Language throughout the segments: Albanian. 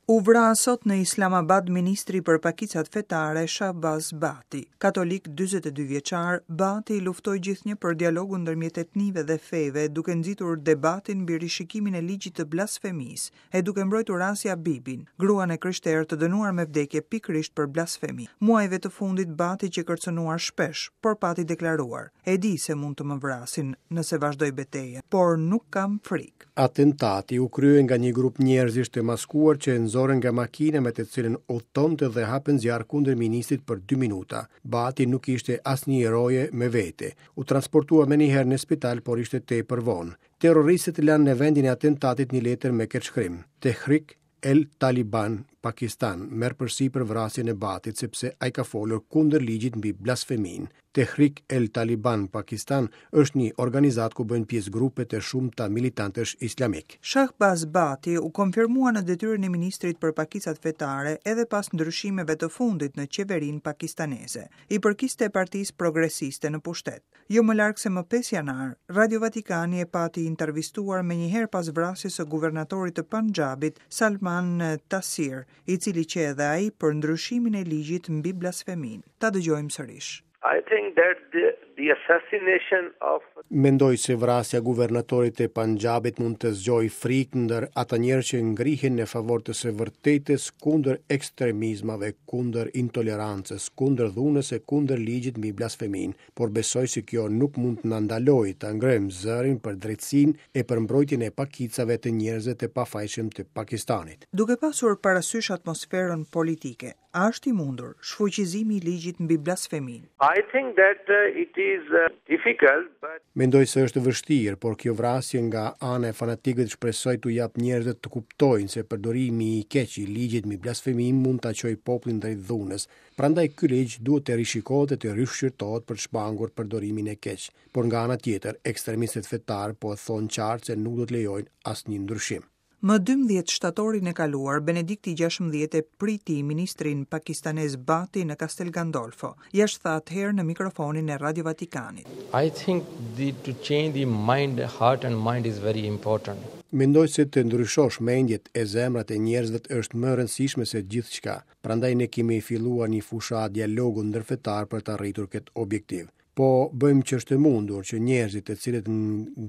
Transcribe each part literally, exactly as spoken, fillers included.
U vra sot në Islamabad ministri për pakicat fetare Shahbaz Bhatti. Katolik dyzet e dy vjeçar, Bhatti luftoi gjithnjë për dialogun ndërmjet etnive dhe feve, duke nxitur debatin mbi rishikimin e ligjit të blasfemisë e duke mbrojtur Asia Bibin, gruan e krishterë të dënuar me vdekje pikërisht për blasfemi. Muajve të fundit Bhatti qe kërcënuar shpesh, por pati deklaruar: "E di se mund të më vrasin nëse vazhdoj betejën, por nuk kam frikë." Atentati u krye nga një grup njerëzish të maskuar që e nxorën nga makina me të cilën udhtonte dhe hapën zjarr kundër ministrit për dy minuta. Bhatti nuk ishte asnjë roje me vete. U transportua menjëherë në spital, por ishte tepër vonë. Terroristët lanë në vendin e atentatit një letër me këtë shkrim: "Tehrik el Taliban Pakistan merr përsipër vrasjen e Bhattit sepse ai ka folur kundër ligjit mbi blasfeminë." Tehrik el Taliban Pakistan është një organizatë ku bëjnë pjesë grupe të shumta militantësh islamik. Shahbaz Bhatti u konfirmua në detyrën e ministrit për pakicat fetare edhe pas ndryshimeve të fundit në qeverinë pakistaneze. I përkiste Partisë Progresiste në pushtet. Jo më larg se më pesë janar, Radio Vatikani e pati intervistuar menjëherë pas vrasjes së guvernatorit të Punjabit, Salman Tasir, i cili qe edhe ai për ndryshimin e ligjit mbi blasfeminë. Ta dëgjojmë sërish. I think that the, the assassination of Mendoj se vrasja e guvernatorit të Punjabit mund të zgjojë frikë ndër ata njerëz që ngrihen në favor të së vërtetës kundër ekstremizmave, kundër intolerancës, kundër dhunës e kundër ligjit mbi blasfeminë, por besoj se kjo nuk mund të na ndalojë ta ngrejmë zërin për drejtësinë e për mbrojtjen e pakicave të njerëzve të pafajshëm të Pakistanit. Duke pasur parasysh atmosferën politike, a është i mundur shfuqizimi i ligjit mbi blasfeminë? I think that uh, it is uh, difficult, but Mendoj se është vështirë, por kjo vrasje nga ana e fanatikëve shpresoj t'u jap njerëzve të kuptojnë se përdorimi i keq i ligjit mbi blasfeminë mund ta çojë popullin drejt dhunës. Prandaj ky ligj duhet të rishikohet e të rishqyrtohet për të shmangur përdorimin e keq. Por nga ana tjetër, ekstremistët fetar po e thonë qartë se nuk do të lejojnë asnjë ndryshim. Më dymbëdhjetë shtatorin e kaluar, Benedikti gjashtëmbëdhjetë e priti ministrin pakistanez Bhatti në Castel Gandolfo. Ja ç'tha atëherë në mikrofonin e Radio Vatikanit. I think the, to change the mind, heart and mind is very important. Mendoj se të ndryshosh mendjet e zemrat e njerëzve është më e rëndësishme se gjithçka. Prandaj ne kemi filluar një fushatë dialogu ndërfetar për të arritur këtë objektiv. Po bëjmë që është e mundur që njerëzit të cilët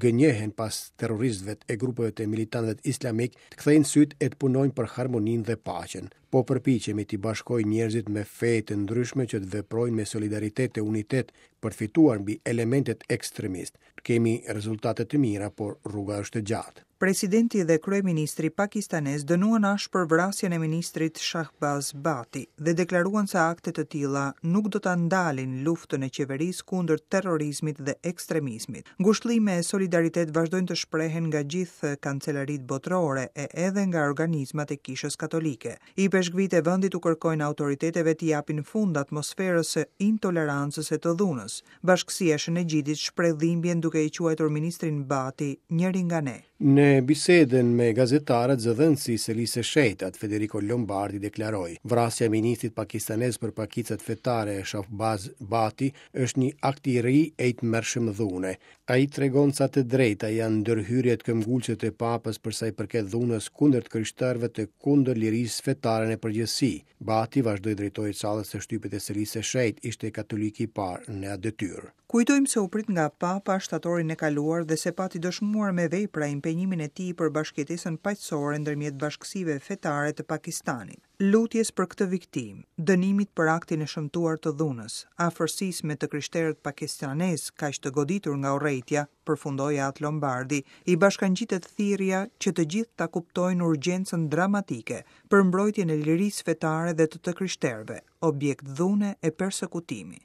gënjehen pas terroristëve e grupeve të militantëve islamik të kthejnë sytë e të punojnë për harmoninë dhe paqen. Po përpiqemi t'i bashkojmë njerëzit me fe të ndryshme që të veprojnë me solidaritet e unitet për të fituar mbi elementet ekstremist. Kemi rezultate të mira, por rruga është e gjatë. Presidenti dhe kryeministri pakistanez dënuan ashpër vrasjen e ministrit Shahbaz Bhatti dhe deklaruan se akte të tilla nuk do ta ndalin luftën e qeverisë kundër terrorizmit dhe ekstremizmit. Ngushëllime e solidaritet vazhdojnë të shprehen nga gjithë kancelaritë botërore e edhe nga organizmat e Kishës Katolike. Ipeshkvit e vendit u kërkojnë autoriteteve të japin fund atmosferës së intolerancës e të dhunës. Bashkësia e Shën Egjidit shpreh dhimbjen duke i quajtur ministrin Bhatti njëri nga ne. Në bisedën me gazetarët, zëdhënësi i Selisë së Shenjtë, Federico Lombardi deklaroi: "Vrasja e ministrit pakistanez për pakicat fetare Shahbaz Bhatti është një akt i ri e i tmerrshëm dhune. Ai tregon sa të drejta janë ndërhyrjet këmbgulëse të papës për sa i përket dhunës kundër të krishterëve të kundër lirisë fetare në përgjithësi." Bhatti vazhdoi drejtojë sallës së shtypit e Selisë së Shenjtë, ishte katoliki i parë në atë detyrë. Kujtojmë se u prit nga Papa shtatorin e kaluar dhe se pati dëshmuar me vepra impenjimin e tij për bashkëjetesën paqësore ndërmjet bashkësive fetare të Pakistanit. Lutjes për këtë viktimë, dënimit për aktin e shëmtuar të dhunës, afërsisë me të krishterët pakistanez kaq të goditur nga urrejtja, përfundoi At Lombardi, i bashkangjitet thirrja që të gjithë ta kuptojnë urgjencën dramatike për mbrojtjen e lirisë fetare dhe të të krishterëve, objekt dhune e persekutimi.